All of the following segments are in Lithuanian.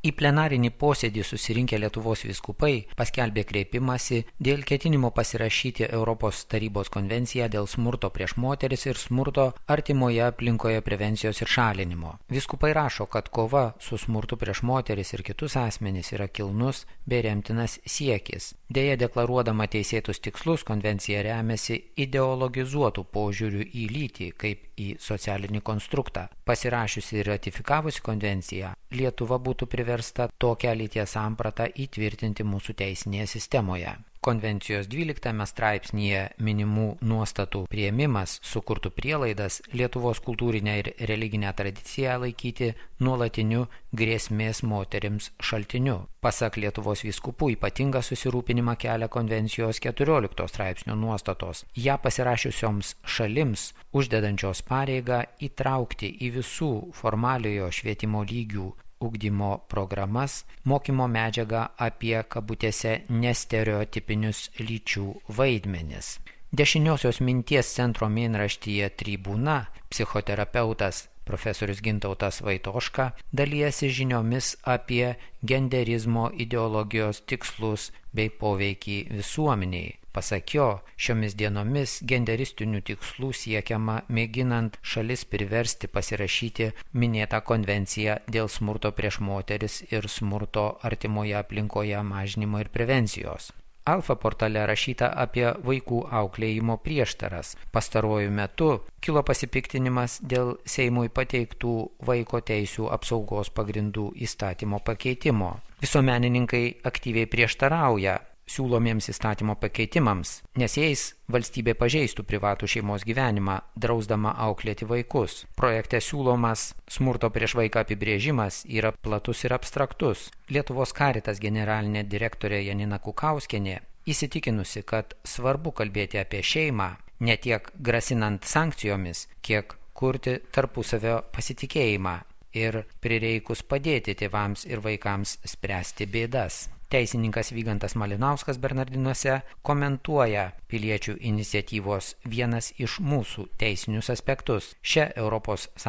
Į plenarinį posėdį susirinkę Lietuvos vyskupai paskelbė kreipimąsi dėl ketinimo pasirašyti Europos tarybos konvenciją dėl smurto prieš moteris ir smurto artimoje aplinkoje prevencijos ir šalinimo. Vyskupai rašo, kad kova su smurtu prieš moteris ir kitus asmenis yra kilnus bei remtinas siekis. Deja, deklaruodama teisėtus tikslus, konvencija remiasi ideologizuotų požiūrių į lytį kaip į socialinį konstruktą. Pasirašiusi ir ratifikavusi konvenciją, Lietuva būtų priversta tokią lyties sampratą įtvirtinti mūsų teisinėje sistemoje. Konvencijos 12 straipsnyje minimų nuostatų priėmimas sukurtų prielaidas Lietuvos kultūrinę ir religinę tradiciją laikyti nuolatiniu grėsmės moterims šaltiniu. Pasak Lietuvos vyskupų, ypatingą susirūpinimą kelia konvencijos 14 straipsnio nuostatos. Ją pasirašiusioms šalims uždedančios pareigą įtraukti į visų formaliojo švietimo lygių ugdymo programas mokymo medžiagą apie kabutėse nestereotipinius lyčių vaidmenis. Dešiniosios minties centro mėnraštyje Tribūna psichoterapeutas profesorius Gintautas Vaitoška dalijasi žiniomis apie genderizmo ideologijos tikslus bei poveikį visuomeniai. Pasak jo, šiomis dienomis genderistinių tikslų siekiama mėginant šalis priversti pasirašyti minėtą konvenciją dėl smurto prieš moteris ir smurto artimoje aplinkoje mažinimo ir prevencijos. Alfa portale rašyta apie vaikų auklėjimo prieštaras. Pastaruoju metu kilo pasipiktinimas dėl Seimui pateiktų vaiko teisių apsaugos pagrindų įstatymo pakeitimo. Visuomenininkai aktyviai prieštarauja siūlomiems įstatymo pakeitimams, nes jais valstybė pažeistų privatų šeimos gyvenimą, drausdama auklėti vaikus. Projekte siūlomas smurto prieš vaiką apibrėžimas yra platus ir abstraktus. Lietuvos Caritas generalinė direktorė Janina Kukauskienė įsitikinusi, kad svarbu kalbėti apie šeimą, ne tiek grasinant sankcijomis, kiek kurti tarpusavio pasitikėjimą ir prireikus padėti tėvams ir vaikams spręsti bėdas. Teisininkas Vygantas Malinauskas Bernardinuose komentuoja piliečių iniciatyvos vienas iš mūsų teisinius aspektus. Šia ES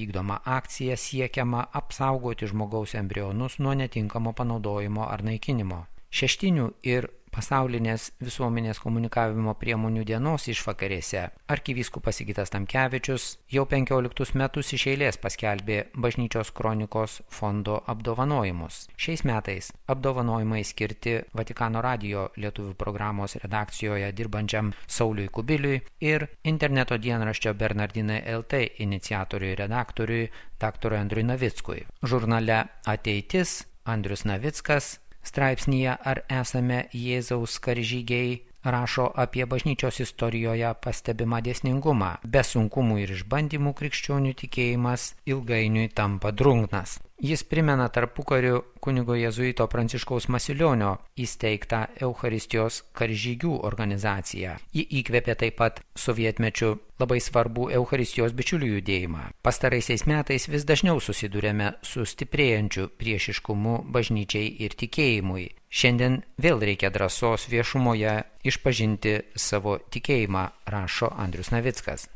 vykdoma akcija siekiama apsaugoti žmogaus embrionus nuo netinkamo panaudojimo ar naikinimo. Šeštinių ir pasaulinės visuomenės komunikavimo priemonių dienos išvakarėse arkivyskupas Sigitas Tamkevičius jau 15 metus iš eilės paskelbė Bažnyčios kronikos fondo apdovanojimus. Šiais metais apdovanojimai skirti Vatikano radijo lietuvių programos redakcijoje dirbančiam Sauliui Kubiliui ir interneto dienraščio Bernardinai LT iniciatoriui redaktoriui dr. Andriui Navickui. Žurnale Ateitis Andrius Navickas straipsnyje Ar esame Jėzaus karžygiai rašo apie bažnyčios istorijoje pastebimą dėsningumą. Be sunkumų ir išbandymų krikščionių tikėjimas ilgainiui tampa drungnas. Jis primena tarpukariu kunigo jėzuito Pranciškaus Masilionio įsteigtą Eucharistijos karžygių organizaciją. Ji įkvėpė taip pat sovietmečiu labai svarbų Eucharistijos bičiulių judėjimą. Pastaraisiais metais vis dažniau susidurėme su stiprėjančiu priešiškumu bažnyčiai ir tikėjimui. Šiandien vėl reikia drąsos viešumoje išpažinti savo tikėjimą, rašo Andrius Navickas.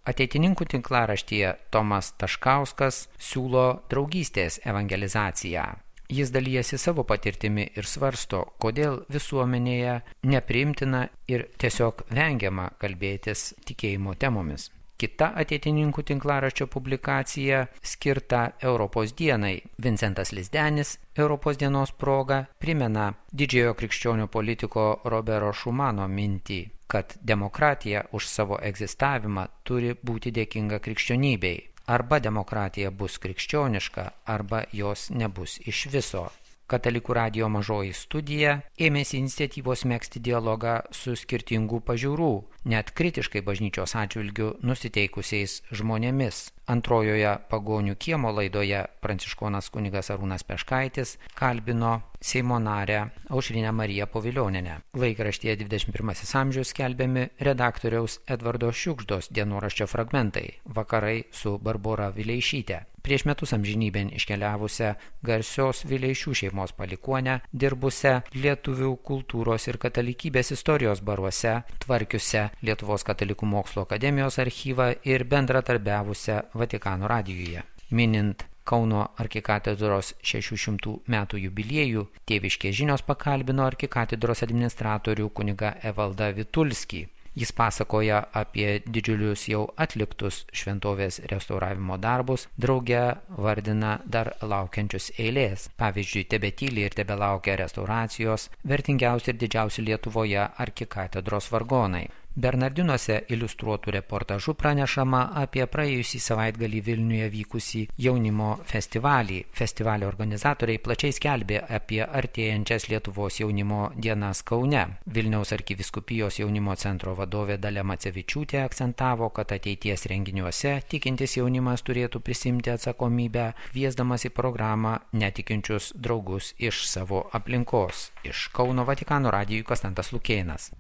Ateitininkų tinklaraštyje Tomas Taškauskas siūlo draugystės evangelizaciją. Jis dalijasi savo patirtimi ir svarsto, kodėl visuomenėje nepriimtina ir tiesiog vengiama kalbėtis tikėjimo temomis. Kita ateitininkų tinklaraščio publikacija skirta Europos dienai. Vincentas Lizdenis Europos dienos proga primena didžiojo krikščionių politiko Robero Šumano mintį, kad demokratija už savo egzistavimą turi būti dėkinga krikščionybei. Arba demokratija bus krikščioniška, arba jos nebus iš viso. Katalikų radijo mažoji studija ėmėsi iniciatyvos megzti dialogą su skirtingų pažiūrų, net kritiškai bažnyčios atžvilgiu nusiteikusiais žmonėmis. Antrojoje Pagonių kiemo laidoje pranciškonas kunigas Arūnas Peškaitis kalbino Seimo narę Aušrinę Mariją Povilionienę. Laikraštyje 21 amžius skelbiami redaktoriaus Edvardo Šiugždos dienoraščio fragmentai Vakarai su Barbora Vileišyte. Prieš metus amžinybėn iškeliavusią garsios Vileišių šeimos palikuonę, dirbusią lietuvių kultūros ir katalikybės istorijos baruose, tvarkiusią Lietuvos katalikų mokslo akademijos archyvą ir bendradarbiavusią Vatikano radijuje. Minint Kauno arkikatedros 600 metų jubiliejų Tėviškės žinios pakalbino arkikatedros administratorių kunigą Evaldą Vitulskį. Jis pasakoja apie didžiulius jau atliktus šventovės restauravimo darbus, drauge vardina dar laukiančius eilės. Pavyzdžiui, tebetyli ir tebelaukia restauracijos vertingiausi ir didžiausi Lietuvoje arkikatedros vargonai. Bernardinuose iliustruotų reportažų pranešama apie praėjusį savaitgalį Vilniuje vykusį jaunimo festivalį. Festivalio organizatoriai plačiai skelbė apie artėjančias Lietuvos jaunimo dienas Kaune. Vilniaus arkivyskupijos jaunimo centro vadovė Dalia Macevičiūtė akcentavo, kad ateities renginiuose tikintis jaunimas turėtų prisimti atsakomybę, kviesdamas į programą netikinčius draugus iš savo aplinkos. Iš Kauno Vatikano radijui Konstantas Lukėnas.